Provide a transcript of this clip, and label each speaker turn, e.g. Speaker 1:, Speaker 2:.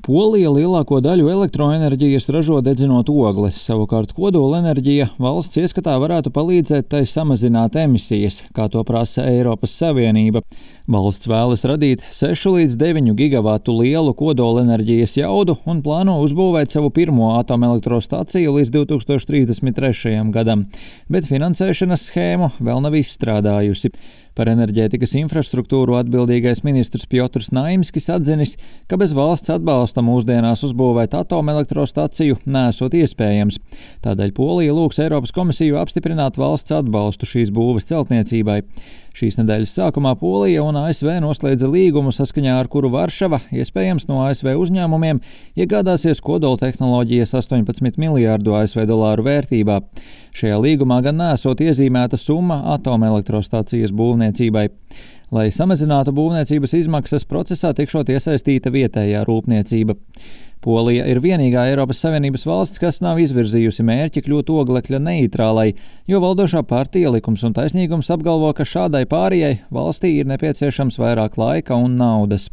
Speaker 1: Polija lielāko daļu elektroenerģijas ražo dedzinot ogles, savukārt kodolenerģija valsts ieskatā varētu palīdzēt tai samazināt emisijas, kā to prasa Eiropas Savienība. Valsts vēlas radīt 6 līdz 9 gigavatu lielu kodolenerģijas jaudu un plāno uzbūvēt savu pirmo atomelektrostaciju līdz 2033. gadam, bet finansēšanas schēmu vēl nav izstrādājusi. Par enerģētikas infrastruktūru atbildīgais ministrs Pjotrs Naimskis atzinis, ka bez valsts atbalsta mūsdienās uzbūvēt atomelektrostaciju nesot iespējams. Tādēļ Polija lūgs Eiropas komisiju apstiprināt valsts atbalstu šīs būves celtniecībai. Šīs nedēļas sākumā Polija un ASV noslēdza līgumu, saskaņā ar kuru Varšava, iespējams no ASV uzņēmumiem, iegādāsies kodoltehnoloģijas 18 miljārdu ASV dolāru vērtībā. Šajā līgumā gan nesot iezīmēta summa atomelektrostacijas būvniecībai. Lai samazinātu būvniecības izmaksas, procesā tikšot iesaistīta vietējā rūpniecība. Polija ir vienīgā Eiropas Savienības valsts, kas nav izvirzījusi mērķi kļūt oglekļa neitrālai, jo valdošā partija Likums un taisnīgums apgalvo, ka šādai pārējai valstī ir nepieciešams vairāk laika un naudas.